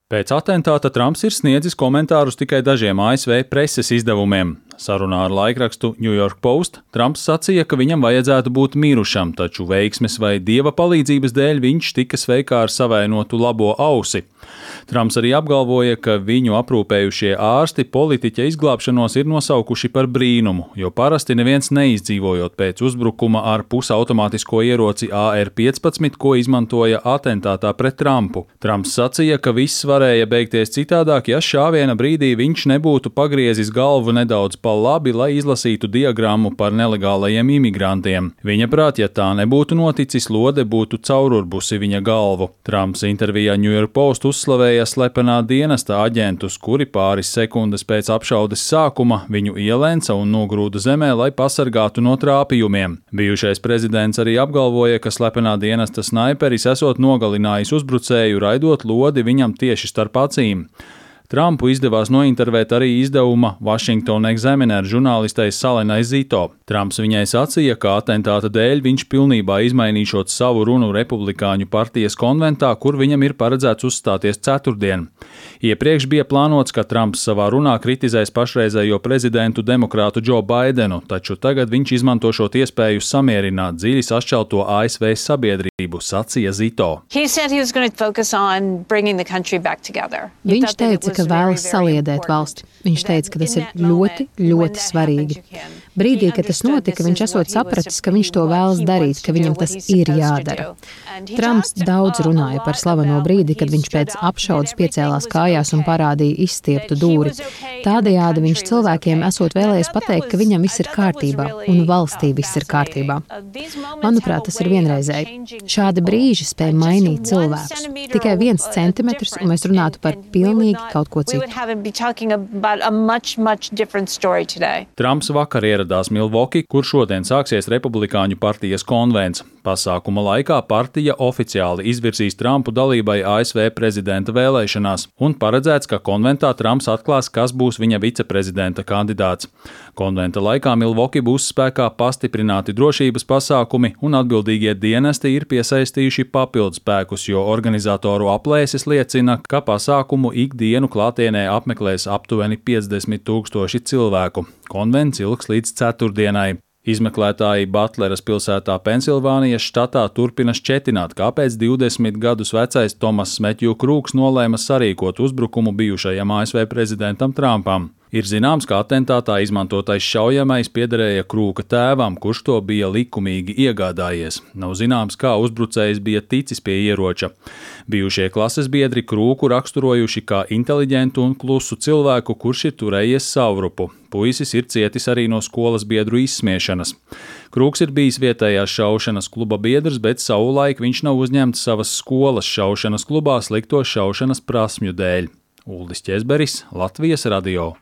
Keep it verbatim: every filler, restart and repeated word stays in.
Pēc atentāta Trumps ir sniedzis komentārus tikai dažiem A S V preses izdevumiem. Sarunā ar laikrakstu New York Post Trumps sacīja, ka viņam vajadzētu būt mirušam, taču veiksmes vai dieva palīdzības dēļ viņš tika sveikā ar savainotu labo ausi. Trumps arī apgalvoja, ka viņu aprūpējušie ārsti politiķa izglābšanos ir nosaukuši par brīnumu, jo parasti neviens neizdzīvojot pēc uzbrukuma ar pusautomātisko ieroci A R piecpadsmit, ko izmantoja atentātā pret Trumpu. Trumps sacīja, ka viss varēja beigties citādāk, ja šāviena brīdī viņš nebūtu pagriezis galvu nedaudz pa labi, lai izlasītu diagrammu par nelegālajiem imigrantiem. Viņa prāt, ja tā nebūtu noticis, lode būtu caururbusi viņa galvu. Trumps intervijā New York Post uzslavēja slepenā dienesta aģentus, kuri pāris sekundes pēc apšaudes sākuma viņu ielēca un nogrūda zemē, lai pasargātu no trāpījumiem. Bijušais prezidents arī apgalvoja, ka slepenā dienesta snaiperis esot nogalinājis uzbrucēju, raidot lodi viņam tieši starp acīm. Trumpu izdevās nointervēt arī izdevuma Washington Examiner žurnālistei Salenai Zito. Trumps viņai sacīja, ka atentāta dēļ viņš pilnībā izmainīšot savu runu Republikāņu partijas konventā, kur viņam ir paredzēts uzstāties ceturtdien. Iepriekš bija plānots, ka Trumps savā runā kritizēs pašreizējo prezidentu demokrātu Joe Bidenu, taču tagad viņš izmanto šo iespēju samierināt dziļi sašķelto A S V sabiedrību, sacīja Zito. Viņš teica, ka vēlas saliedēt valsti. Viņš teica, ka tas ir ļoti, ļoti svarīgi. Brīdī, kad tas notika, viņš esot sapratis, ka viņš to vēlas darīt, ka viņam tas ir jādara. Trumps daudz runāja par slaveno brīdi, kad viņš pēc apšaudes piecēlās kājās un parādīja izstieptu dūri. Tādējādi viņš cilvēkiem esot vēlējies pateikt, ka viņam viss ir kārtībā un valstī viss ir kārtībā. Manuprāt, tas ir vienreizēji. Šādi brīži spēj mainīt cilvēkus. Tikai viens centimetrs, un mēs runātu par pilnīgi kaut ko citu. Trumps vakar ieradās Milvoki, kur šodien sāksies Republikāņu partijas konvents. Pasākuma laikā partija oficiāli izvirzīs Trumpu dalībai A S V prezidenta vēlēšanās, un paredzēts, ka konventā Trumps atklās, kas būs viņa viceprezidenta kandidāts. Konventa laikā Milvoki būs spēkā pastiprināti drošības pasākumi, un atbildīgie dienesti ir piesaistījuši papildus spēkus, jo organizatoru aplēses liecina, ka pasākumu ikdienu klātienē apmeklēs aptuveni piecdesmit tūkstoši cilvēku. Konvents ilgs līdz ceturtdienai. Izmeklētāji Butleras pilsētā Pensilvānijas štatā turpina šķetināt, kāpēc divdesmit gadus vecais Tomass Metju Krūks nolēma sarīkot uzbrukumu bijušajam A S V prezidentam Trumpam. Ir zināms, ka atentātā izmantotais šaujamais piederēja Krūka tēvam, kurš to bija likumīgi iegādājies. Nav zināms, kā uzbrucējs bija ticis pie ieroča. Bijušie klases biedri Krūku raksturojuši kā inteliģentu un klusu cilvēku, kurš ir turējies savrupu. Puisis ir cietis arī no skolas biedru izsmiešanas. Krūks ir bijis vietējās šaušanas kluba biedrs, bet savulaik viņš nav uzņemts savas skolas šaušanas klubā slikto šaušanas prasmju dēļ. Uldis Ķezberis, Latvijas radio.